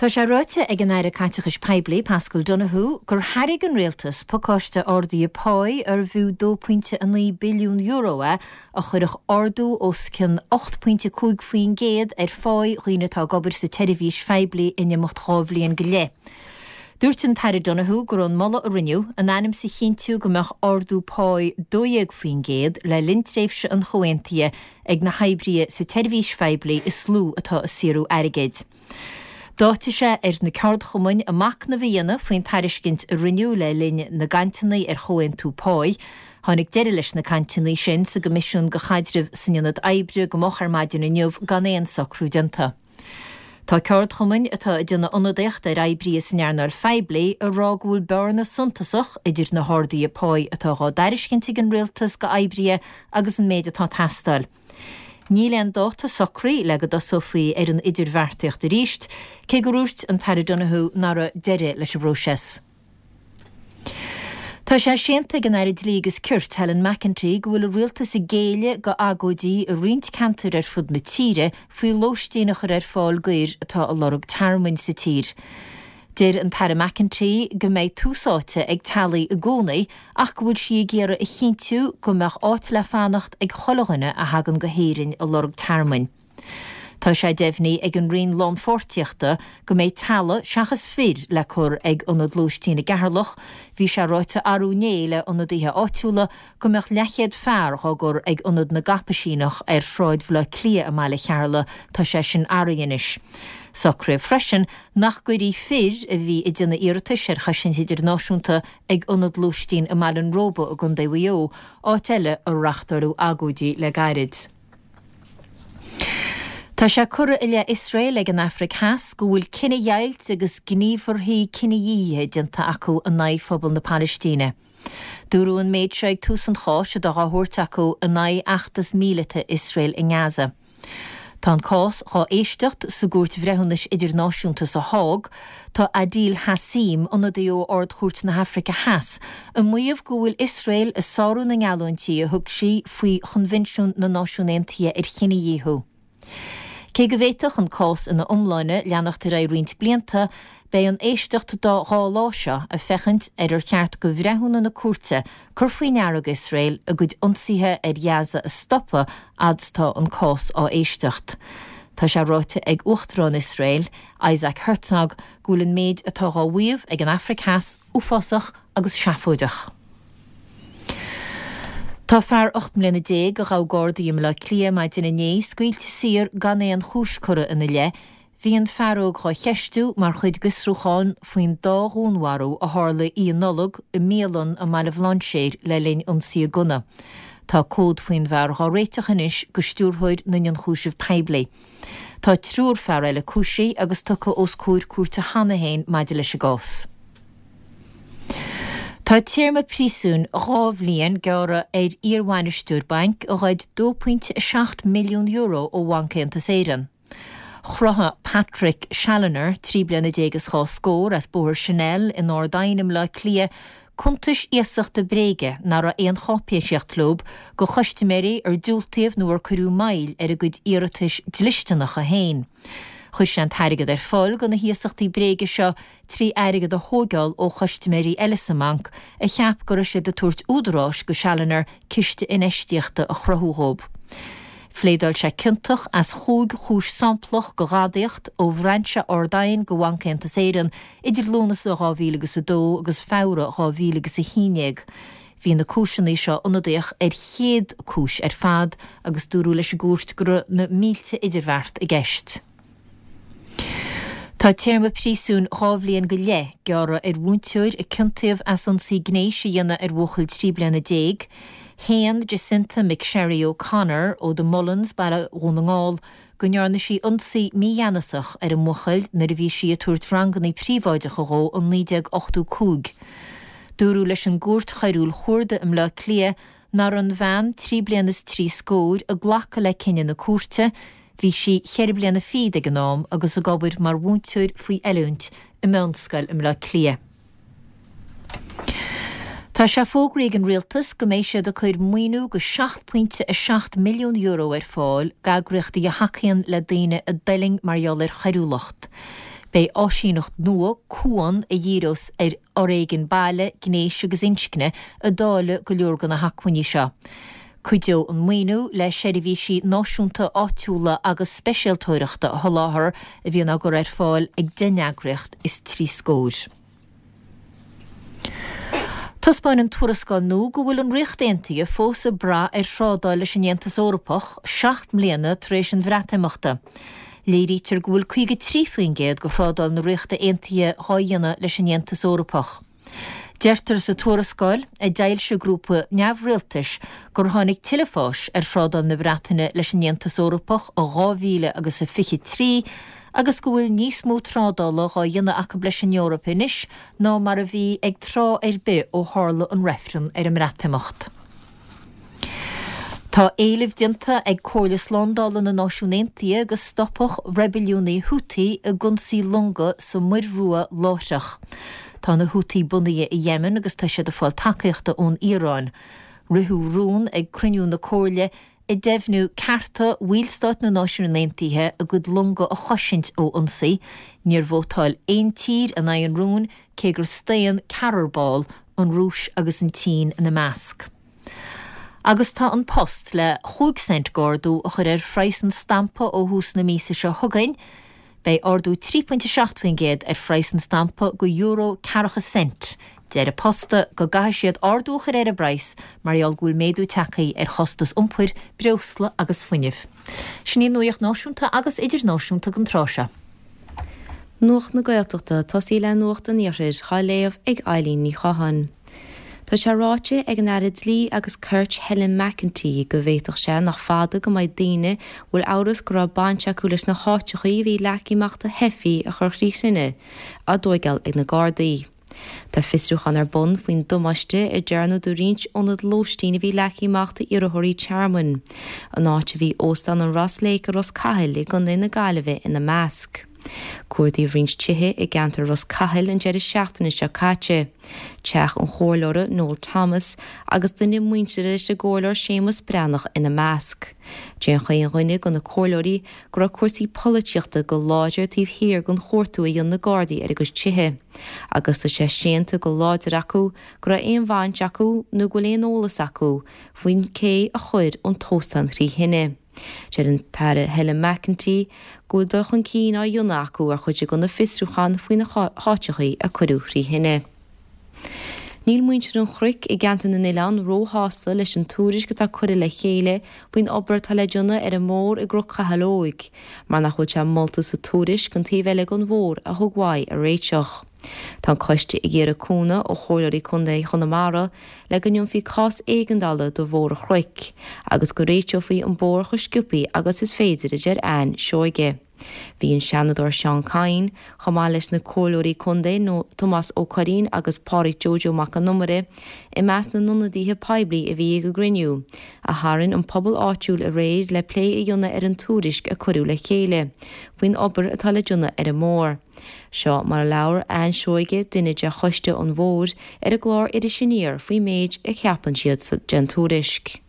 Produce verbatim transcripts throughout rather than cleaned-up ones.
Tá sé ráite ag an Aire Caiteachais Poiblí Paschal Donohoe gur thairg an rialtas pacáiste ardaithe páí arbh fhiú dó pointe a naoi billiún euro é a chuirfeadh ardú os cionn ocht pointe cúig faoin gcéad ar pháí dhaoine atá ag obair sa tseirbhís phoiblí in imeacht dhá bhliain go leith. Dúirt an tAire Donohoe go raibh an moladh a rinneadh in ainm is a chinntiú go mbeadh ardú páí dó dhéag faoin gcéad le linn tréimhse an chomhaontaithe ag na hoibrithe sa tseirbhís phoiblí is lú atá ag saothrú airgid. D'áitigh sé ar na ceardchumainn a machnamh a dhéanamh faoin tairiscint a rinneadh le linn na gcainteanna ar chomhaontú páí. Tháinig deireadh leis na cainteanna sin sa gCoimisiún do Chaidreamh san Ionad Oibre go moch ar maidin inniu gan aon socrú déanta. Tá ceardchumainn atá ag déanamh ionadaíocht ar oibrithe san earnáil phoiblí ag rá go bhfuil bearna suntasach idir na harduithe páí atá á dtairiscint ag an rialtas go oibrithe agus an méid atá ag teastáil. Níl aon dáta socraithe le go dtosófaí ar an idirbheartaíocht arís, cé gur dhúirt an tAire Donohoe nach raibh deireadh leis an bpróiseas. Tá sé séanta ag an Aire Dlí agus Cirt Helen McEntee go bhfuil an rialtas ag géilleadh go agóidí i roinnt ceantar ar fud na tíre faoi lóistín a chur ar fáil d'fhir atá ag lorg tearmainn sa tír. Deir an tAire McEntee go mbeidh tús áite ag teaghlaigh i gcónaí ach go bhfuil sí ag iarraidh a chinntiú go mbeadh áit le fanacht ag chuile dhuine a thagann go hÉirinn ag lorg tearmainn. Tá sé deimhnithe ag an Roinn Lánpháirtíochta go mbeidh teaghlaigh seachas fir le cur ag ionad lóistín i gCeatharlach. Bhí sé ráite arú inné le ionadaithe áitiúla go mbeadh leathchéad fear á gcur ag ionad na gCaipisíneach ar Shráid Bhaile Átha Cliath i mBaile Cheatharlach, tá sé sin athraithe anois. Socraíodh freisin nach gcuirfí fir a bhí ag déanamh iarratais ar chosaint idirnáisiúnta ag ionad lóistín i mBaile an Róba i gContae Mhaigh Eo, áit eile a reáchtáladh agóidí le gairid. Tá sé curtha i leith Iosrael ag an Afraic Theas go bhfuil cinedheighilt agus gníomharthaí cinedhíothaithe déanta acu in aghaidh phobal na Palaistíne. Dúradh an méid seo ag tús an cháis atá á thabhairt acu in aghaidh fheachtas míleata Iosrael i nGaza. Tá an cás á éisteacht sa gCúirt Bhreithiúnais Idirnáisiúnta sa Hág. Tá Adil Hassim, ionadaí ó Ard-Chúirt na hAfraice Theas, ag maíomh go bhfuil Iosrael ag sárú na ngeallúintí a thug sí faoi Choinbhinsiún na Náisiún Aontaithe ar Chinedhíothú. Cé go bhféadfadh an cás ina iomláine leanacht ar aghaidh roinnt blianta, beidh an éisteacht dá dhá lá seo ag féachaint ar ar cheart do bhreithiúna na cúirte cur faoi ndeara d'Iosrael a gcuid ionsaithe ar Ghaza a stopadh fhad is atá an cás á éisteacht. Tá sé ráite ag Uachtarán Iosrael, Isaac Herzog, go bhfuil an méid atá á mhaíomh ag an Afraic Theas uafásach agus seafóideach. Tá fear ocht mbliana déag a ghabh Gardaí i mBaile Átha Cliath maidin inné scaoilte saor gan aon chúis curtha ina leith. Bhí an fear óg á cheistiú mar chuid d'fhiosrúchán faoin dá dhúnmharú a tharla oíche Nollag i mbialann i mBaile Bhlainséir le linn ionsaí gunna. Tá comhad faoin bhfear á réiteach anois go stiúrthóir na nIonchúiseamh Poiblí. Tá triúr fear eile cúisithe agus tugtha os comhair cúirte cheana féin maidir leis an gcás. Tá téarma príosúin dhá bhliain gearrtha ar iarbhainisteoir bainc a ghoid dó pointe a seacht milliún euro ó Bhanc Aontas Éireann. Chruthaigh Patrick Challoner, trí bliana déag is dhá scór, as Bóthar Chanel in Ard Aidhne i mBaile Átha Cliath, cuntais iasachta bréige nach raibh aon cháipéisíocht leo go chustaiméirí ar diúltaíodh nó ar cuireadh moill ar a gcuid iarratais dlisteanacha féin. Chuir sé an t-airgead ar fáil go na hiasachtaí bréige seo trí airgead a thógáil ó chustaiméirí eile sa mbanc a cheap go raibh siad ag tabhairt údaráis go Challoner ciste infheistíochta a chruthú dhóibh. Phléadáil sé ciontach as chúig chúis samplach go ghadaíocht ó bhrainse Ard Aidhne go Bhanc Aontas Éireann idir Lúnasa dhá mhíle agus a dó agus Feabhra dhá mhíle agus a haon déag. Bhí na cúiseanna seo ionadaíoch ar chéad cúis ar fad agus dúradh leis an gcúirt go raibh na mílte idirbheart i gceist. Tá téarma príosúin dhá bhliain go leith gearrtha ar mhúinteoir a ciontaíodh as ionsaí gnéis a dhéanamh ar bhuachaill trí bliana déag. Shéan Jacinta McSherry O'Connor ó The Mullins, Baile Dhún na nGall, go ndearna sí ionsaí mígheanasach ar an mbuachaill nuair a bhí sí ag tabhairt ranganna príobháideacha dhó in naoi déag ochtó cúig. Dúradh leis an gcúirt choiriúil chuarda i mBleá Cliath nach raibh an bhean trí bliana is trí scór ag glacadh le cinneadh na cúirte. Bhí sí ceithre bliana fichead ag an am agus ag obair mar mhúinteoir faoi oiliúint i meánscoil i mBleá Cliath. Tá sé fógraithe ag an rialtas go mbeidh siad ag cur maoiniú go seacht pointe a seacht milliún euro ar fáil d'eagraíochtaí a thacaíonn le daoine a d'fhulaing mar gheall ar choiriúlacht. Beidh áisíneacht nua Cuan a dhíreos ar fhoréigean baile, gnéis agus inscne ag dáileadh go leor de na hacmhainní seo. Cuideoidh an maoiniú le seirbhísí náisiúnta, áitiúla agus speisialtóireachta a sholáthar a bhíonn á gcur ar fáil ag deich n-eagraíocht is trí scór. Taispeánann tuarascáil nua go bhfuil an Ríocht Aontaithe fós ag brath ar thrádáil leis an Aontas Eorpach seacht mbliana tar éis an Bhreatimeachta. Léirítear go bhfuil caoga trí faoin gcéad de thrádáil na Ríochta Aontaithe dhá dhéanamh leis an Aontas Eorpach. Deirtear sa tuarascáil, a d'fhoilsigh grúpa neamhrialtais, gur tháinig tuilleadh fáis ar thrádáil na Breataine leis an Aontas Eorpach i dhá mhíle agus a fiche trí agus go bhfuil níos mó trádála dhá dhéanamh acu leis an Eoraip anois ná mar a bhí ag tráth ar bith ó tharla an reifreann ar an mBreatimeacht. Tá éileamh déanta ag Comhairle Slándála na Náisiún Aontaithe go stopfadh reibiliúnaigh Houthi ag ionsaí longa sa Muir Rua láithreach. Tá na Houthi bunaithe i Yemen agus tá siad ag fáil tacaíochta ón Iaráin. Ritheadh rún ag cruinniú na Comhairle ag deimhniú cearta bhallstáit na Náisiún Aontaithe a gcuid longa a chosaint ó ionsaí. Níor vótáil aon tír in aghaidh an rúin cé gur staon ceathrar ball, an Rúis agus an tSín ina measc. Agus tá An Post le chúig cent d'ardú a chur ar phraghas an stampa ó thús na míosa seo chugainn. Beidh ardú trí pointe seacht faoin gcéad ar phraghas an stampa go euro ceathracha cent. Deir An Post go gcaithfidh siad ardú a chur ar an bpraghas mar gheall go bhfuil méadú tagtha ar chostas iompair, breosla agus fuinnimh. Sin í an nuacht náisiúnta agus idirnáisiúnta don tráth seo. Nuacht na Gaeltachta, tosaí le Nuacht an Iarthair, á léamh ag Eileen Ní Chatháin. Tá sé ráite ag an Aire Dlí agus Cirt Helen McEntee go bhféadfadh sé nach fada go mbeidh daoine a bhfuil amhras go raibh baint acu leis na háiteachaí a bhí leagtha amach do theifigh a chur trí thine á dtóigeáil ag na Gardaí. Tá fiosrúchán ar bun faoin damáiste a dearnadh do roinnt ionad lóistín a bhí leagtha amach d'iarrthóirí tearmainn, an áit a bhí Óstán an Ross Lake i Ros Cathail i gContae na Gaillimhe ina measc. Cuardaíodh roinnt tithe i gceantar Ros Cathail an deireadh seachtaine seo caite, teach an Chomhairleora Noel Thomas agus duine muinteartha leis an gComhairleoir Séamus Breathnach ina measc. Deir chaon dhuine de na comhairleoirí go raibh cúrsaí polaitíochta go láidir taobh thiar den chuartú a dhein na Gardaí ar a gcuid tithe, agus tá sé séanta go láidir acu go raibh aon bhaint acu nó go bhfuil aon eolas acu faoin cé a chuir an t-óstán trí thine. Deir an tAire Helen McEntee go bhfuil dul chun cinn á dhéanamh acu ar chuid de na fiosrúcháin faoi na háiteachaí a cuireadh trí thine. Níl muintir an Chnoic i gceantar na nOileán róshásta leis an tuairisc atá curtha le chéile faoin obair atá le déanamh ar an mbóthar i gCnoc Chathail Óig, mar nach bhfuil sé molta sa tuairisc an taobh eile den bhóthar a thug uaidh a réiteach. Tá an coiste ag iarraidh cúnamh ó Chomhairleoirí Contae Chonamara le go ndéanfaí cás éigeandála do Bhóthar an Chnoic agus go réiteofaí an bóthar chomh sciobtha agus is féidir, a deir Ann Seoige. Bhí an Seanadóir Seán Kyne, chomh maith leis na Comhairleoirí Contae Tomás Ó Curraoin agus Pádraig Joe Joe Mac an Iomaire i measc na n-ionadaithe poiblí a bhí ag an gcruinniú a tharraing an pobal áitiúil aréir le plé a dhéanamh ar an tuairisc a cuireadh le chéile faoin obair atá le déanamh ar an mbóthar. Seo mar a labhair Ann Seoige, duine de Choiste an Bhóthair, ar an gclár Iris Aniar faoin méid a cheapann siad den tuairisc.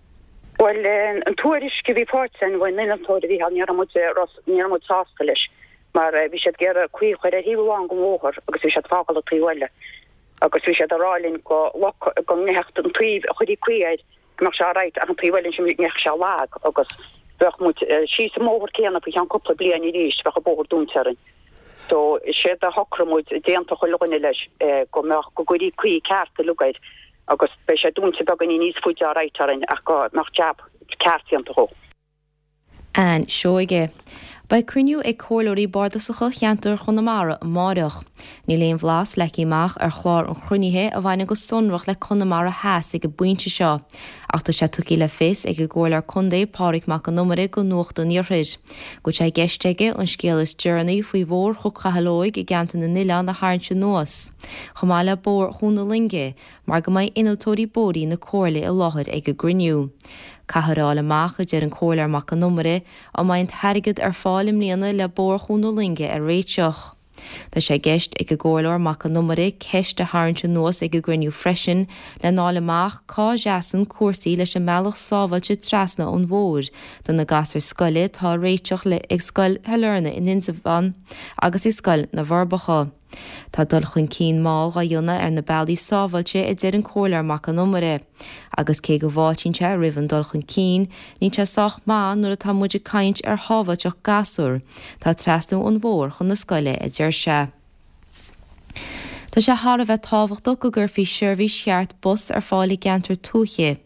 Bhuel, an tuairisc a bhí faighte againn ón innealtóir a bhí ann, ní raibh muid, ní raibh muid sásta leis mar bhí siad ag iarraidh caoi a chur ar thaobh amháin den bhóthar agus bhí siad ag fágáil an taobh eile agus bhí siad ag rá linn go loc, go mbeadh an taobh a chuirfí caoi air go mbeadh sé alright ach an taobh eile ansin go mbeadh sé lag agus bheadh muid síos an mbóthar céanna faoi cheann cúpla bliain arís, bheadh an bóthar dúnta orainn. So séard a shocraigh muid, d'aontaigh chuile dhuine leis go mbeadh, go gcuirí caoi ceart uilig air agus beidh sé dúnta beagáinín níos faide alright orainn ach go mbeadh jab ceart déanta dhó. Ann Seoige. Beidh cruinniú ag Comhairleoirí Bardasacha Cheantar Chonamara amáireach. Níl aon bhlas leagtha amach ar chlár an chruinnithe a bhaineann go sonrach le Conamara Theas ag an bpointe seo, ach tá sé tugtha le fios ag an gComhairleoir Contae Pádraig Mac Con Iomaire do Nuacht an Iarthair go bhfuil sé i gceist aige an scéal is deireanaí faoi Bhóthar Chnoc Chathail Óig i gceantar na nOileán a tharraingt anuas, chomh maith le Bóthar Dhún na Loinge, mar go mbeidh innealtóirí bóithre na Comhairle i láthair ag an gcruinniú. Caithfear a fháil amach, a deir an Comhairleoir Mac Con Iomaire, an mbeidh an t-airgead ar fáil i mbliana le Bóthar Dhún na Loinge a réiteach. Tá sé i gceist ag an gComhairleoir Mac Con Iomaire ceist a tharraingt anuas ag an gcruinniú freisin lena fháil amach cá seasann cúrsaí leis an mbealach sábháilte trasna an bhóthair do na gasúir scoile atá á réiteach ag Scoil Shailearna in Indreabhán agus ag Scoil na bhForbacha. Tá dul chun cinn mall á dhéanamh ar na bealaí sábháilte a deir an Comhairleoir Mac Con Iomaire. Agus cé go bhfáiltíonn sé roimh an dul chun cinn, níl sé sách maith nuair atá muid ag caint ar shábháilteacht gasúr atá ag trasnú an bhóthair chun na scoile, a deir sé. Tá sé thar a bheith tábhachtach go gcuirfí seirbhís cheart bus ar fáil i gceantair tuaithe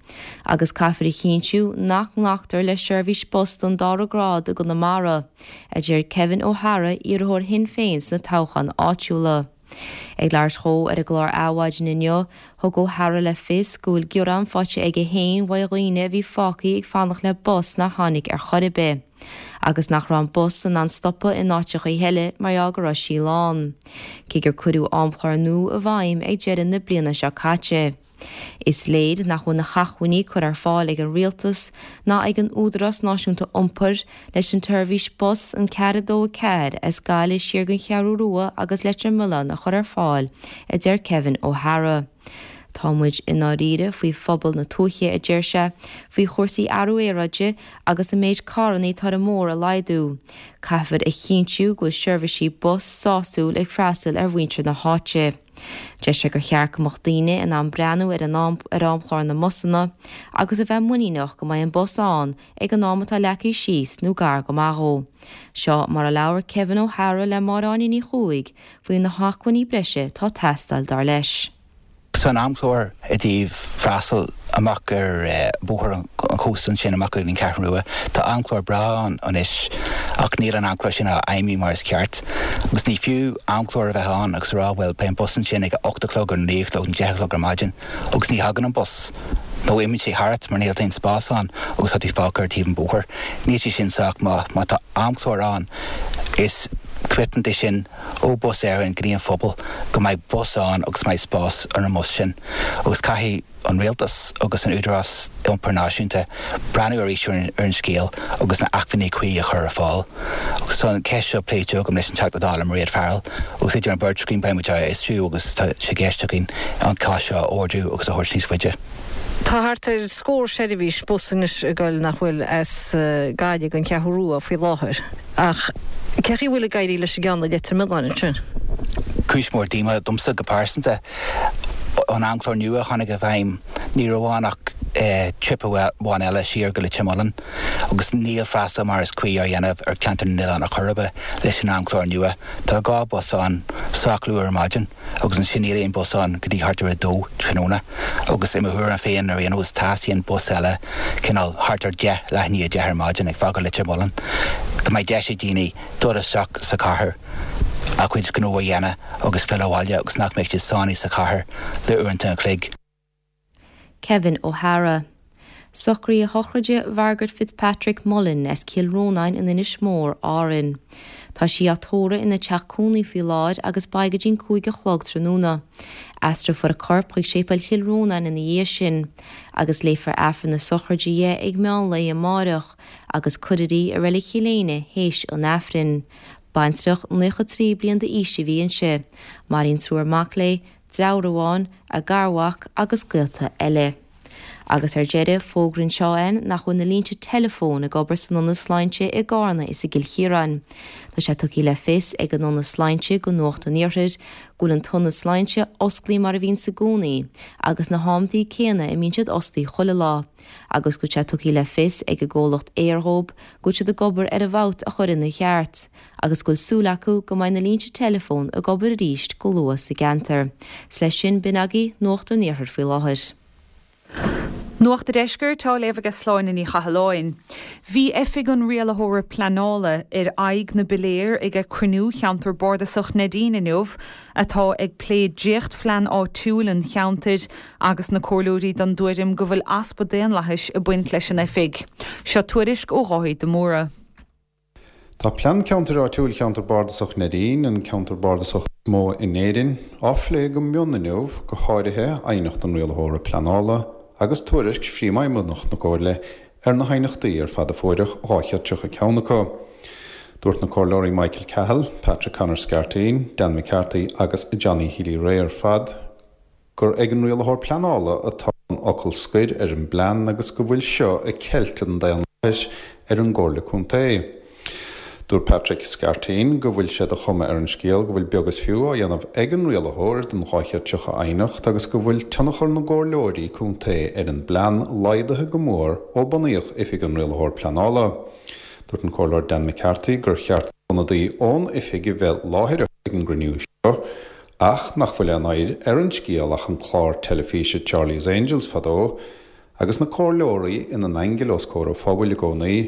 agus caithfear a chinntiú nach nglactar le seirbhís bus den dara grád i gConamara, a deir Kevin Ó hEadhra, iarrthóir Shinn Féin sna toghcháin áitiúla. Ag labhairt dhó ar an gclár Adhmhaidin inniu, thug Ó hEadhra le fios go bhfuil gearán faighte aige féin uaidh dhaoine a bhí fágtha ag fanacht le bus nár tháinig ar chor ar bith. agus nach raibh an bus in ann stopadh in áiteachaí eile mar gheall go raibh sí lán. Cé gur cuireadh amchlár nua i bhfeidhm ag deireadh na bliana seo caite. Is léir nach bhfuil na hacmhainní curtha ar fáil ag an Rialtas ná ag an Údarás Náisiúnta Iompair leis an tseirbhís bus an ceathair a dó a ceathair as Gaillimh siar gon Cheathrú Rua agus Leitir Mealláin a chur ar fáil, a deir Kevin Ó hEadhra. Tá muid i ndáiríre faoi phobal na tuaithe, a deir sé, faoi chúrsaí athrú aeráide agus an méid carranna atá ar an mbóthar a laghdú. Caithfear a chinntiú go bhfuil seirbhísí bus sásúil ag freastal ar mhuintir na háite. Deir sé gur cheart go mbeadh daoine in ann breathnú ar an ar amchlár na mbusanna agus a bheith muiníneach go mbeidh an bus ann ag an am atá leagtha síos nó gar go maith dhó. Seo mar a labhair Kevin Ó hEadhra le Máire Áine Ní Chuaig faoi na hacmhainní breise atá ag teastáil dar leis. San amchlár i dtaobh freastal amach ar bhóthar an chósta ansin amach go dtí an Cheathrú Rua, tá amchlár breá ann anois ach níl an amchlár sin á fheidhmiú mar is ceart. Agus ní fiú amchlár a bheith ann agus a rá bhuel beidh an bus ansin ag a ocht a chlog ar naoi a chlog nó deich a chlog ar maidin agus ní thagann an bus nó imíonn sé tharat mar níl aon spás ann agus tá tú fágtha ar taobh an bhóthair. Níl sé sin sách maith. Má tá amchlár ann is commitment é sin ó Bus Éireann go dtí an phobal go mbeidh bus ann agus mbeidh spás ar an mbus sin. Agus caithfidh an rialtas agus an Údarás Iompair Náisiúnta breathnú arís ar an scéal agus na acmhainní cuí a chur ar fáil. Agus tá an ceist seo pléite agam leis an Teachta Dála Mairéad Farrell agus idir an bheirt againn beidh muid á fhiosrú agus tá sé i gceist againn an cás seo a ardú agus a thabhairt níos faide. Tá thart ar scór seirbhís bus anois ag goil nach bhfuil as Gaillimh gon Cheathrú Rua faoi láthair. Ach cé chaoi bhfuil ag éirí leis an gceann i Leitir Mealláin ansin? Cúis mór díomá domsa go pearsanta. An amchlár nua a tháinig i bhfeidhm ní raibh ann ach trip amháin eile siar go Leitir Mealláin agus níl freastal mar is cuí á dhéanamh ar cheantar na n-oileán ar chor ar bith leis an amchlár nua. Tá dhá bus ann sách luath ar maidin agus ansin níl aon bus ann go dtí thart ar a dó tráthnóna agus i mo thuairim féin ar aon nós teastaíonn bus eile cineál thart ar deich leath i ndiaidh a deich ar maidin ag fágáil Leitir Mealláin go mbeidh deis ag daoine dul isteach sa chathair a gcuid gnó a dhéanamh agus filleadh abhaile agus nach mbeidh siad sáinnithe sa chathair le uaireanta an chloig. Kevin Ó hEadhra. Socruithe sochraide Mhargaret Fitzpatrick Mullen as Cill Rónáin in Inis Mór, Árainn. Tá sí á tórramh ina teach cónaí faoi láthair agus beidh go dtí'n cúig a chlog tráthnóna. Aistreofar a corp chuig Séipéal Chill Rónáin ina dhiaidh sin, agus léifear Aifreann na sochraide di ag meán lae amáireach, agus cuirfear í i Reilig Chill Éinne théis an Aifrinn. Baintreach naocha trí bliain d'aois a bhí inti. Maireann triúr mac léi, deartháir amháin, a garmhac agus gaolta eile. Agus ar deireadh, fógraíonn Shaw N nach bhfuil na línte teileafóin ag obair san Ionad Sláinte i gCarna is i gCill Chiaráin. Tá sé tugtha le fios ag an Ionad Sláinte go Nuacht an Iarthair go bhfuil an tIonad Sláinte osclaí mar a bhíonns i gcónaí agus na hamtaí céanna a mbíonn siad osclaí chuile lá, agus go bhfuil sé tugtha le fios ag an gcomhlacht Eir dhóibh go bhfuil siad ag obair ar an bhfabht a chur ina cheart, agus go bhfuil súil acu go mbeidh na línte teileafóin ag obair arís go luath sa gceantar. 'S leis sin, b'in agaibh Nuacht an Iarthair faoi láthair. Nuacht an Deiscirt á léamh ag Sláine Ní Chathalláin. Bhí Oifig an Rialaitheora Pleanála ar aghaidh na bpiléar ag cruinniú cheantar bardasach Neidín inniu atá ag plé dréachtphlean áitiúil an cheantair agus na comhairleoirí den tuairim go bhfuil easpa daonlathais ag baint leis an oifig. Seo tuairisc ó Dháithí de Mórdha. Tá Plean Ceantair Áitiúil Cheantar Bardasach Neidín, an ceantar bardasach is mó in Éirinn, á phlé go mion inniu, go háirithe aighneacht an Rialaitheora Pleanála agus tuairisc Phríomhfheidhmeannach na Comhairle ar na haighneachtaí ar fad a fuaireadh, dhá chéad tríocha ceann acu. Dúirt na Comhairleoirí Michael Cahill, Patrick Connor Scarteen, Dan McCarthy agus Johnny Healy-Rae ar fad gur ag an rialaitheoir pleanála atá an focal scoir ar an bplean agus go bhfuil seo ag ceilt an daonlathais ar an gComhairle Contae. Dúirt Patrick Scarteen go bhfuil sé de chuma ar an scéal go bhfuil beag is fiú á dhéanamh ag an rialaitheoir den dhá chéad tríocha aighneacht agus go bhfuil tionchar na gcomhairleoirí contae ar an bplean laghdaithe go mór ó bunaíodh oifig an rialaitheoir pleanála. Dúirt an Comhairleoir Dan McCarthy gur cheart ionadaí ón oifig a bheith láithreach ag an gcruinniú seo, ach nach bhfuil aon oidhre ar an scéal ach an clár teilifíse Charlie's Angels fadó, agus na comhairleoirí ina n-aingil os comhair an phobail i gcónaí,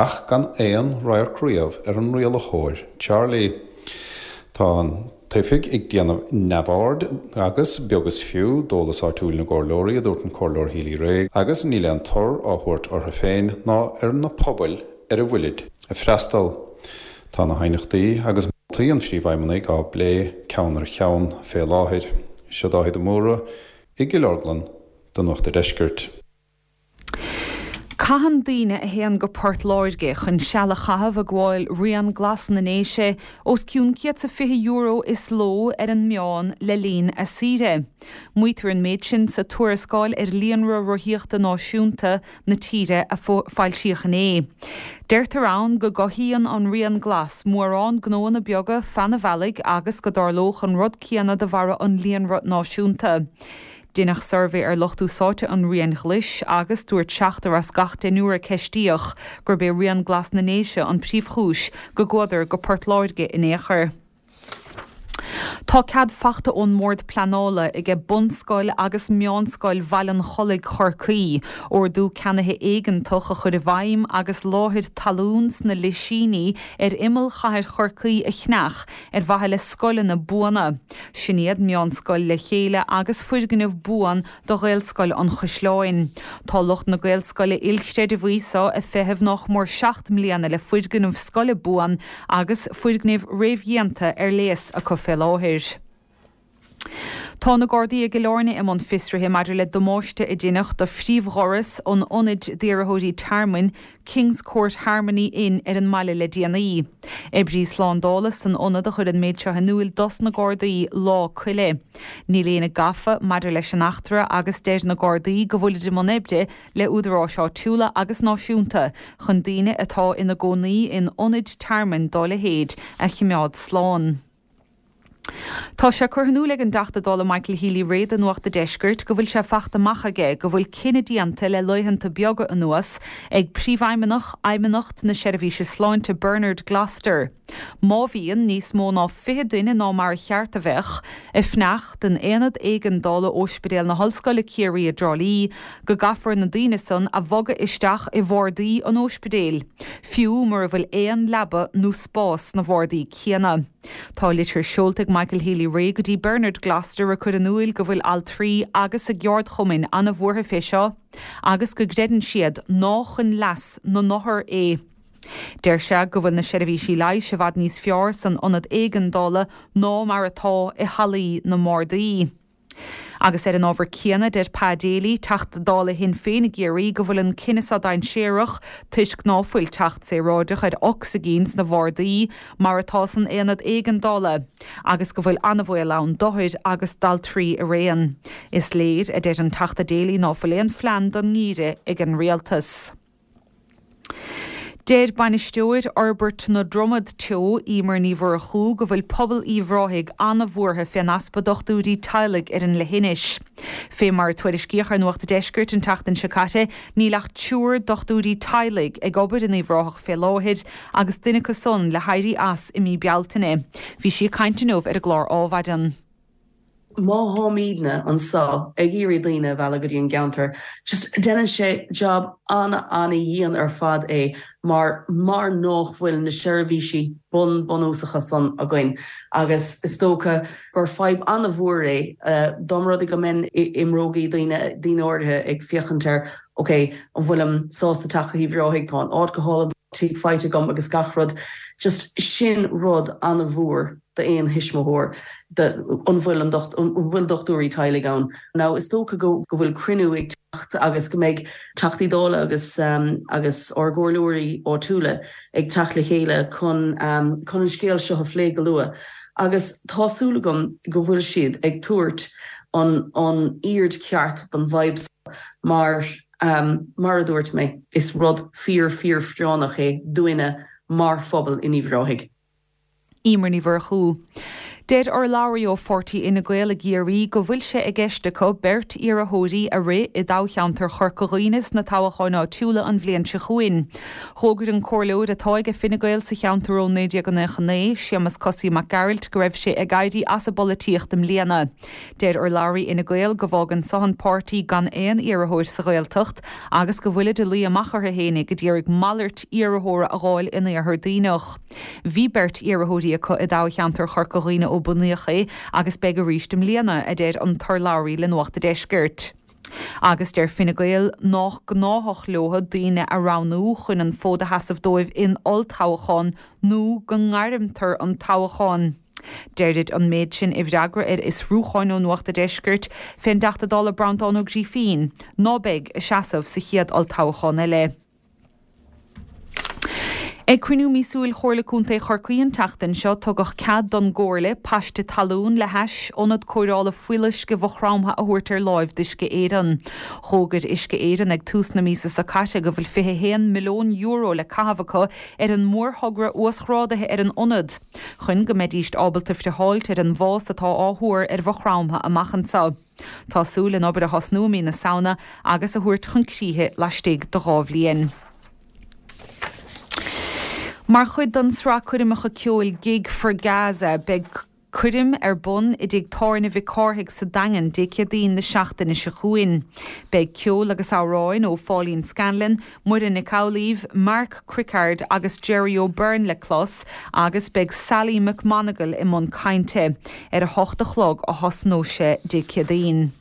ach gan aon radharc riamh ar an rialaitheoir Charlie. Tá an t-oifig ag déanamh neamhaird agus beag is fiú d'eolas áitiúil na gcomhairleoirí a dúirt an Comhairleoir Healy-Rae agus níl aon tor á thabhairt orthu féin ná ar na pobail ar a bhfuilid ag freastal. Tá na haighneachtaí agus moltaí an phríomhfheidhmeannaigh á bplé ceann ar cheann fé láthair. Seo Dáithí de Mórdha i gCill Orglan do Nuacht an Deiscirt. Caitheann daoine a théann go Port Láirge chun seal a chaitheamh ag gabháil Rian Glas na nDéise os cionn céad is fiche euro is ló ar an meán le linn a saoire. Maítear an méid sin sa tuarascáil ar líonra rothaíochta náisiúnta na tíre a foilsíodh inné. Deirtear ann go gcothaíonn an Rian Glas mórán gnóanna beaga feadh an bhealaigh agus go dtarlódh an rud céanna de bharra an líonra náisiúnta. Deineadh suirbhé ar lucht úsáidte an Riain Ghlais agus dúirt seachtar as gach deichniúr a ceistíodh gurb é Rian Glas na nDéise an príomhchúis go gcuadar go Port Láirge in aon chor. Tá cead fachta ón mBord Pleanála aige bunscoil agus meánscoil Bhaile an Chollaigh Chorcaí, ordú ceannaithe éigeantach a chur i bhfeidhm agus láthair talún sna Lisíní ar imeall chathair Chorcaí a cheannach ar mhaithe le scoileanna buana. Sin iad meánscoil Le Chéile agus foirgneamh buan do Ghaelscoil an Chaisleáin. Tá lucht na Gaelscoile ilchreideamhaí seo ag feitheamh nach mór seacht mbliana le foirgneamh scoile buan agus foirgnimh réamhdhéanta ar léas acu fé láthair. Tá na Gardaí i gCill Airne i mbun fiosraithe maidir le damáiste a deineadh do phríomhdhoras an ionaid d'iarrthóirí tearmainn Kings Court Harmony Inn ar an mbaile le déanaí. Oibrí slándála san ionad a chuir an méid seo in iúl dos na Gardaí Lá Coille. Níl éinne gafa maidir leis an eachtra agus deir na Gardaí go bhfuilid i mbun oibre le údaráis áitiúla agus náisiúnta chun daoine atá ina gcónaí in ionaid tearmainn dá leithéid a choimeád slán. Tá sé curtha in iúl ag an dTeachta Dála Michael Healy-Rae do Nuacht an Deiscirt go bhfuil sé fachta amach aige go bhfuil cinneadh déanta le laethanta beaga anuas ag Príomhfheidhmeannach Fheidhmeannacht na Seirbhíse Sláinte Bernard Gloster. Má bhíonn níos mó ná fiche duine ná mar a cheart a bheadh ag fanacht in aonad éigeandála Ospidéal na hOllscoile Ciarraí i dTrá Lí, go gcaithfear na daoine san a bhogadh isteach i bhardaí an ospidéil, fiú mura bhfuil aon leaba nó spás sna bardaí céanna. Tá litir seolta ag Michael Healy-Rae go dtí Bernard Gloster ag cur in iúl go bhfuil altraí agus a gceardchumainn an-bhuartha fé seo, agus go gcreideann siad ná chun leas na n-othar é. Deir sé go bhfuil na seirbhísí leighis i bhfad níos fearr san ionad éigeandála ná mar atá i hallaí na mbardaí. Agus ar an ábhar céanna deir Pa Daly, Teachta Dála Shinn Féin i gCiarraí go bhfuil an cinneadh seo dainséarach toisc ná fuil teacht saoráideach ar ocsaigin sna bardaí mar atá san aonad éigeandála agus go bhfuil an-bhaol ann d'othair agus d'altraí araon. Is léir, a deir an Teachta Daly, ná fuil aon phlean don ngeimhreadh ag an rialtas. Deir bainisteoir Fhorbairt na Dromad Teo, Emer Ní Mhurchú, go bhfuil pobal Uíbh Ráthaigh an-bhuartha fén easpa dochtúirí teaghlaigh ar an leithinis. Fé mar a tuairiscíodh ar Nuacht an Deiscirt an tseachtain seo caite, níl ach triúr dochtúirí teaghlaigh ag obair in Uíbh Ráthach fé láthair agus duine acu san le héirí as i mí Bealtaine. Bhí sí ag caint inniu ar an gclár Adhmhaidin. Má tháimidne anseo ag iarraidh daoine a mhealladh go dtí an gceantar, just déanann sé job an-an-dhian ar fad é mar mar nach bhfuil na seirbhísí bun bunúsacha san againn agus is dócha gur fadhb an-mhór é dá mba rud é go mbeinn i mbrógaí daoine daoine áirithe ag féachaint ar ok an bhfuilim sásta teacht go hUíbh Ráthaigh, tá an áit go hálainn. tigh faighte agam agus gach rud, just sin rud an-mhór d'aon thuismitheoir an bhfuil an bhfuil dochtúirí teaghlaigh ann. Now is dócha go go bhfuil cruinniú ag teacht agus go mbeidh Teachtaí Dála agus um, agus ár gcomhairleoirí áitiúla ag teacht le chéile chun um, chun an scéal seo a phlé go luath. Agus tá súil agam go bhfuil siad ag tabhairt an an aird cheart don bhfadhb mar um, mar a dúirt mé is rud fíor fíorphráinneach é dúinne mar phobal in Uíbh Ráthaigh. Eimear Ní Mhurchú. Deir urlabhraí ó pháirtí Fhine Gael i gCiarraí go bhfuil sé i gceist acu beirt iarrthóirí a rith i dtoghcheantar Chorca Dhuibhne sna toghcháin áitiúla an bhliain seo chugainn. D'fhógair an comhairleoir atá ag Fine Gael sa cheantar ó naoi déag nócha naoi, Séamus Cosaí Mac Gearailt go raibh sé ag éirí as an bpolaitíocht i mbliana. Deir urlabhraí Fhine Gael go bhfágann seo an páirtí gan aon iarrthóir sa Ghaeltacht agus go bhfuilid ag luí amach orthu fhéinig ag iarraidh malairt iarrthóra a fháil in Iarthar Duibhneach. Bhí beirt iarrthóirí acu i dtoghcheantar Chorca Dhuibhne ó bunaíodh é agus beidh arís i mbliana, a deir an t-urlabhraí le Nuacht an Deiscirt. Agus deir Fine Gael nach gnáthach leo daoine a roghnú chun an fód a sheasamh dóibh in olltoghchán nó go ngairmtear an toghchán. Deirid an méid sin i bhfreagra ar fhiosrúchán ó Nuacht an Deiscirt fén dTeachta Dála Breandán Ó Grífín, ná beidh ag seasamh sa chéad olltoghchán eile. Ag cruinniú míosúil Chomhairle Contae Chorcaí an tseachtain seo tugadh cead don gComhairle paiste talún le hais ionad cóireála fuíolluisce Mhaigh Chromtha a thabhairt ar láimh d'Uisce Éireann. D'fhógair Uisce Éireann ag tús na míosa seo caite go bhfuil fiche haon milliún euro le caitheamh acu ar an mórthogra uasghrádaithe ar an ionad, chun go mbeidíst ábalta friotháilt ar an bhfás atá á thuar ar Mhaigh Chromtha amach anseo. Tá súil an obair a thosnú i mí na Samhna agus a thabhairt chun críche laistigh de dhá bhliain. Mar chuid den sraith coirmeacha ceoil Gig for Gaza, beidh coirm ar bun i dtigh tábhairne Mhic Cárthaigh sa Daingean Dé Céadaoin na seachtaine seo chugainn. Beidh ceol agus amhráin ó Pháilín Scanlon, Muireann Nic Amhlaoibh, Mark Crickard agus Jerry O'Byrne le clos agus beidh Sally McMonagle i mbun cainte. Ar a hocht a chlog a thosnóidh sé Dé Céadaoin.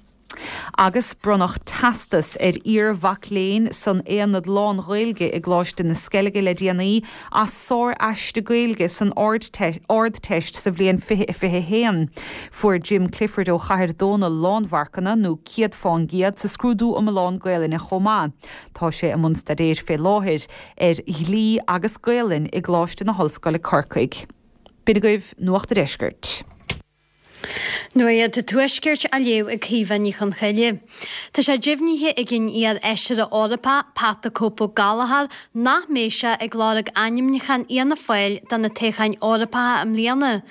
Agus bronnadh teastas ar iar-mhac léinn san Aonad Lán-Ghaeilge i gColáiste na Sceilge le déanaí as sár-aiste Gaeilge san Ardteist sa bhliain fiche a fiche haon. Fuair Jim Clifford ó Chathair Dónall lánmharcanna nó céad fán gcéad sa scrúdú iomlán Gaelainne chomh maith. Tá sé i mbun staidéir fé láthair ar dhlí agus Gaelainn i gColáiste na hOllscoile Corcaigh. B'in agaibh Nuacht an Deiscirt. Nuacht an Tuaiscirt á léamh ag Caoimhe Ní Chonchoille. Tá sé deimhnithe ag an iar-fheisire Eorpach Pat the Cope Ó Gallchóir nach mbeidh sé ag lorg ainmniúchán Fhianna Fáil do na toghcháin Eorpacha i mbliana.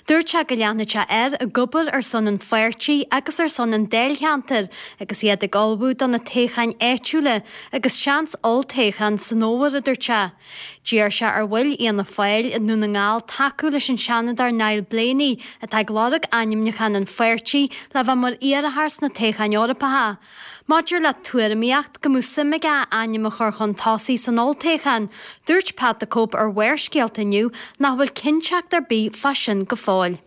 Dúirt sé go leanfaidh sé air ag obair ar son an pháirtí agus ar son an dáilcheantair agus iad ag ullmhú do na toghcháin áitiúla agus seans olltoghchán san fhómhar, a dúirt sé. D'iarr sé ar bhaill Fhianna Fáil i nDún na nGall tacú leis an Seanadóir Niall Blaney atá ag lorg ainmniúchán an pháirtí le bheith mar iarrthóir sna toghcháin Eorpacha. Maidir le tuairimíocht go mbeadh suim aige a ainm a chur chun tosaigh san olltoghchán, dúirt Pat the Cope ar Bharrscéalta inniu nach bhfuil cinnteacht ar bith fá sin go fóill.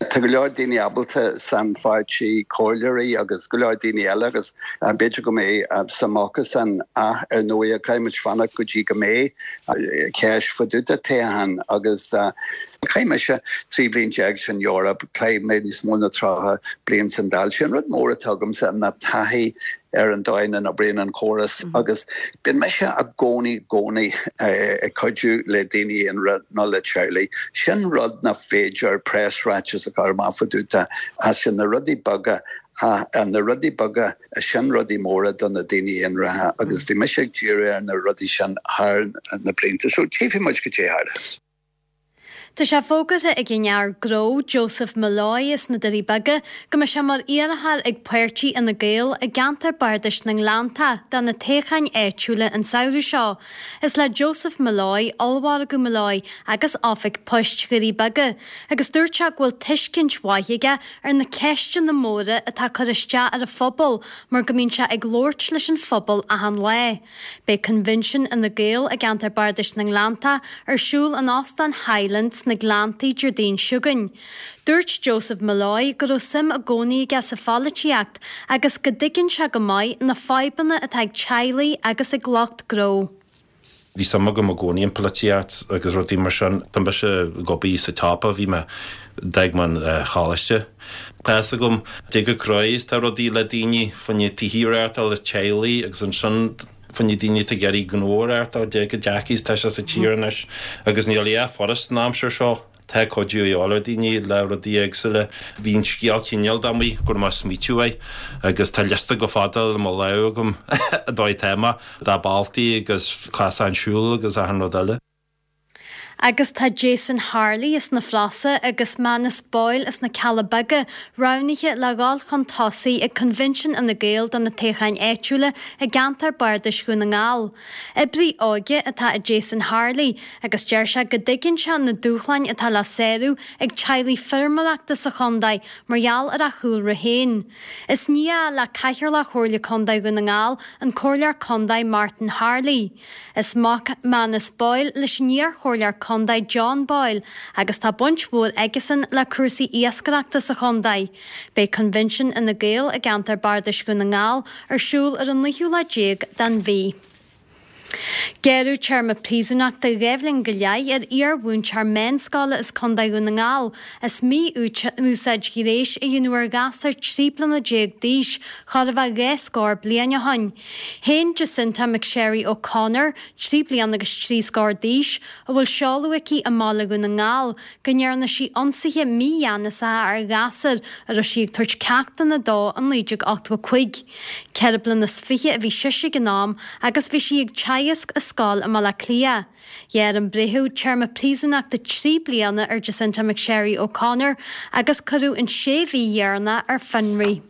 Tá go leor daoine ábalta san pháirtí, comhairleoirí agus go leor daoine eile agus b'fhéidir go mbeidh suim acusan ach ar ndóigh caithfidh muid fanacht go dtí go mbeidh ceist fá dtaobh de toghchán agus chaith mise trí bliain déag san Eoraip, chaith mé níos mó ná tríocha bliain san Dáil. Sé an rud mór atá agamsa ná taithí ar an dóigh ina n-oibríonn an córas agus bíonn mise i gcónaí gcónaí ag cuidiú le daoine aonair nó le teaghlaigh. Sin rud nach féidir preasráiteas a chur amach fá dtaobh de as sin na rudaí beaga na rudaí beaga sin rudaí móra do na daoine aonair agus bhí mise ag díriú ar na rudaí sin thar na blianta so tchífidh muid cad é a tharlós. Tá sé fógartha ag an fhear gnó Joseph Molloy as na Doirí Beaga go mbeidh sé mar iarrthóir ag páirtí Fhine Gael i gceantar Bardais na nGleannta do na toghcháin áitiúla an samhradh seo. Is le Joseph Molloy, Ollmhargadh Molloy agus Oifig Poist Dhoirí Beaga agus dúirt sé go bhfuil tuiscint mhaith aige ar na ceisteanna móra atá ag cur isteach ar an phobal mar go mbíonn sé ag labhairt leis an phobal achan lá. Beidh Coinbhinsiún Fhine Gael i gceantar Bardais na nGleannta ar siúl in Óstán Highland sna Gleanntaí Déardaoin seo chugainn. Dúirt Joseph Molloy go raibh suim i gcónaí aige sa pholaitíocht agus go dtuigeann sé go maith na fadhbanna atá ag teaghlaigh agus ag lucht gnó. Bhí suim agam i gcónaí in polaitíocht agus rudaí mar sin. Tá mise ag obair sa tsiopa bhí mé d'fhág mé an choláiste. Tá fhios agam cé chomh crua is tá rudaí le daoine fá choinne tithe a reáchtáil is teaghlaigh agus ansin fá choinne daoine atá ag iarraidh gnó a reáchtáil cé chomh deacair is tá sé sa tír anois agus níl a dhath furast an aimsir seo. Tá cuidiú a dhíobháil ar daoine le rudaí éagsúla. Bhí an scéal cineál amuigh go raibh mé ag smaoitiú air agus tá liosta go fada le mo lámh agam dóigh téama dá baltaí agus casadh an siúl agus achan rud eile. Agus tá Jason Harley as na Flossa agus Manus Boyle as na Cealla Beaga roghnaithe le dhul chun tosaigh ag Coinbhinsiún Fhine Gael do na toghcháin áitiúla i gceantar Bardais Dhún na nGall. Oibrí óige atá i Jason Harley agus deir sé go dtuigeann sé na dúshláin atá le sárú ag teaghlaigh feirmeoireachta sa chontae mar gheall ar a chúlra féin. Is nia le Cathaoirleach Chomhairle Contae Dhún na nGall an Comhairleoir Contae Martin Harley. Is mac Manus Boyle leis an iar-chomhairleoir Contae John Boyle agus tá baint mhór aigesan le cúrsaí iascaireachta sa chontae. Beidh Coinbhinsiún Fhine Gael i gceantar Bardais Dhún na nGall ar siúl ar an naoú lá déag den mhí. Gearradh téarma príosúnachta dhá bhliain go leith ar iar-mhúinteoir meánscoile as Contae Dhún na nGall as mí-úsáid ghnéis a dhéanamh ar ghasúr trí bliana déag d'aois chóir a bheith dhá scór bliain ó shin. Shéan Jacinta McSherry O'Connor, trí bliana agus trí scór d'aois, a bhfuil seoladh aici i mBaile Dhún na nGall, go ndearna sí ionsaithe mígheanasacha ar ghasúr a raibh sí ag tabhairt ceachtanna dó in naoi déag ochtó a cúig. Ceithre bliana is fiche a bhí sise ag an am agus bhí sí ag teagasc i scoil i mBaile Átha Cliath. Ghearr an breitheamh téarma príosúnachta trí bliana ar Jacinta McSherry O'Connor agus cuireadh an sé mhí dheireanach ar fionraí.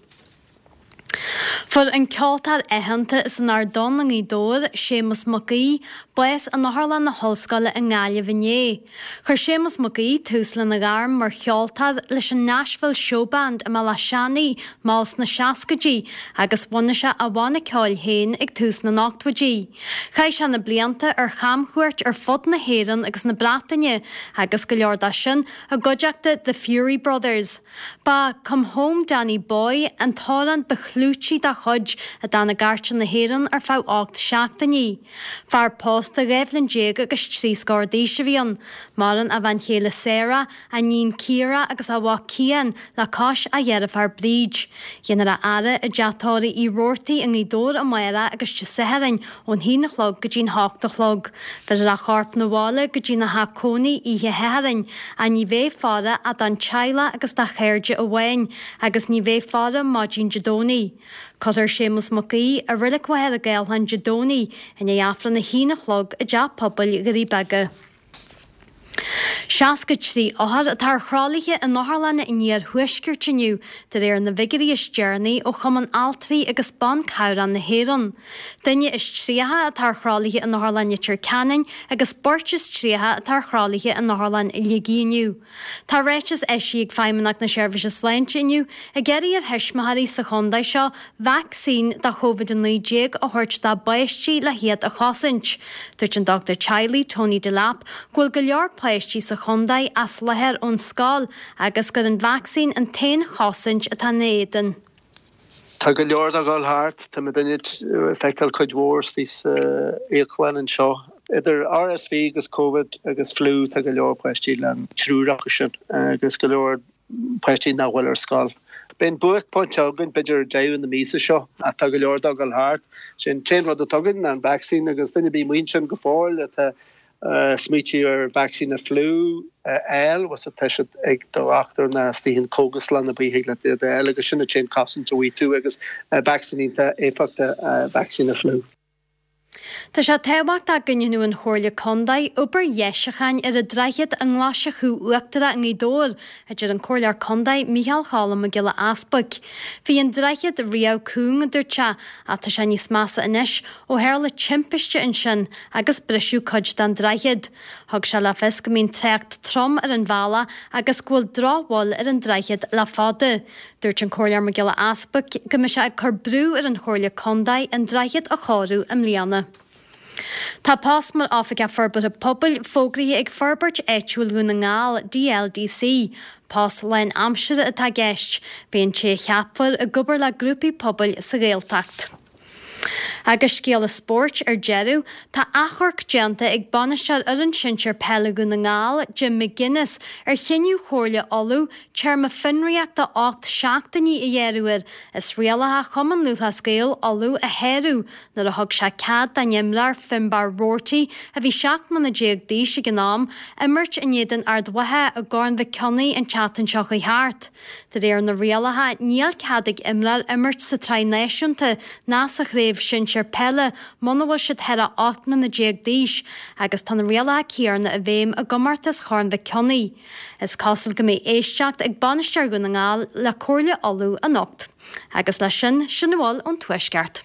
Fuair an ceoltóir aitheanta as an Ard Donn i nGaoth Dobhair, Séamus Mac Aoidh, bás in Otharlann na hOllscoile i nGaillimh inné. Chuir Séamus Mac Aoidh tús lena ghairm mar cheoltóir leis an Nashville Showband i mBealach Seanaidh mall sna seascaidí agus bhunaigh sé a bhanna ceoil féin ag tús na n-ochtóidí. Chaith sé na blianta ar chamchuairt ar fud na hÉireann agus na Breataine agus go leor de sin i gcuideachta The Furey Brothers. Ba Come Home Danny Boy an t-amhrán ba chlúití dá chuid a d'fhan i gcairteanna na hÉireann ar feadh ocht seachtainí. Fear pósta dhá bhliain déag agus trí scór d'aois a bhí ann. Maireann a bhean chéile Sarah, a iníon Ciara agus a mhac Cian le cois a dheirféar Bríd. Déanfar a fhaire i dteach tórraimh Uí Robhartaigh i nGaoth Dobhair amárach agus Dé Sathairn ón haon a chlog go dtí'n hocht a chlog. Bhéarfar a chorp 'na bhaile go dtína theach cónaí oíche Shathairn ach ní bheidh faire ach don teaghlach agus dá chairde amháin agus ní bheidh faire maidin Dé Domhnaigh. Cuirfear Séamus Mac Aoidh i Reilig Mhachaire Gathlán Dé Domhnaigh i ndiaidh Aifreann a haon a chlog i dTeach Pobail Dhoirí Beaga. Seasca trí othar atá ar thralaithe in otharlanna an iarthuaiscirt inniu, de réir na bhfigiúirí is deireanaí ó Chumann Altraí agus Ban Cabhrach na hÉireann. Duine is tríocha atá ar thralaithe in Otharlann Leitir Ceanainn agus beirt is tríocha atá ar thralaithe in Otharlann Shligigh inniu. Tá ráiteas eisithe ag Feidhmeannacht na Seirbhíse Sláinte inniu ag iarraidh ar thuismitheoirí sa chontae seo vacsaín do Covid a naoi déag a thabhairt dá bpáistí le hiad a chosaint. Dúirt an dochtúir teaghlaigh Tony Delap go bhfuil go leor páistí sa chontae as láthair ón scoil agus gur an vacsaín an t-aon chosaint atá ina éadan. Tá go leor dá dhul thart, tá muidinne ag feiceáil cuid mhór istigh sa íoclann anseo. Idir R S V agus Covid agus fliú tá go leor páistí le an triúr acu sin agus go leor páistí nach bhfuil ar scoil. Beidh an buaicphointe againn b'fhéidir deireadh na míosa seo ach tá go leor dá dhul thart. Sin t-aon rud atá againn ná an vacsaín agus duine ar bith amuigh ansin go fóill atá smaoitiú ar vacsaín na fliú a fháil, bhfuil tá siad ag do dhochtúir nó istigh in cógaslann ar bith thig leat iad a fháil agus sin an t-aon chosaint a bhfaighidh tú agus vacsaín iontach éifeachtach vacsaín na fliú. Tá sé tábhachtach go ndéanfadh an Chomhairle Contae obair dheisiúcháin ar an droichead i nGlais Chú Uachtarach i nGaoth Dobhair, a deir an Comhairleoir Contae Micheál Cholm Mac Giolla Easbuic. Bhí an droichead riamh cúng, a dúirt sé, ach tá sé níos measa anois ó tharla timpiste ansin agus briseadh cuid den droichead. Thug sé le fios go mbíonn trácht trom ar an bhealach agus go bhfuil drochbhail ar an droichead le fada. Dúirt an Comhairleoir Mac Giolla Easbuic go mbeidh sé ag cur brú ar an Chomhairle Contae an droichead a chóiriú i mbliana. Tá post mar Oifigeach Forbartha Pobail fógraithe ag Forbairt Áitiúil Dhún na nGall, D L D C. Post lánaimseartha atá i gceist. Beidh an té a cheapfar ag obair le grúpaí pobail sa Ghaeltacht. Agus scéala spóirt ar deireadh, tá achomharc déanta ag bainisteoir fhoireann sinsir peile Dhún na nGall, Jim McGuinness, ar chinneadh Chomhairle Uladh téarma fionraíochta ocht seachtainí a ghearradh air as rialacha Chumann Lúthchleas Gael Uladh a shárú nuair a thug sé cead don imreoir Finbarr Roarty, a bhí seacht mbliana déag d'aois ag an am, imirt in éadan Ard Mhacha i gCorn Mhic Cionnaith an tseachtain seo chuaigh thart. De réir na rialacha, níl cead ag imreoir imirt sa tsraith náisiúnta ná sa chraobh shinsir peile muna bhfuil siad thar a ocht mbliana déag d'aois agus tá na rialacha céanna i bhfeidhm i gcomórtas Chorn Mhic Cionnaith. Is cosúil go mbeidh éisteacht ag bainisteoir Dhún na nGall le Comhairle Uladh anocht. Agus leis sin, sin a bhfuil ón Tuaisceart.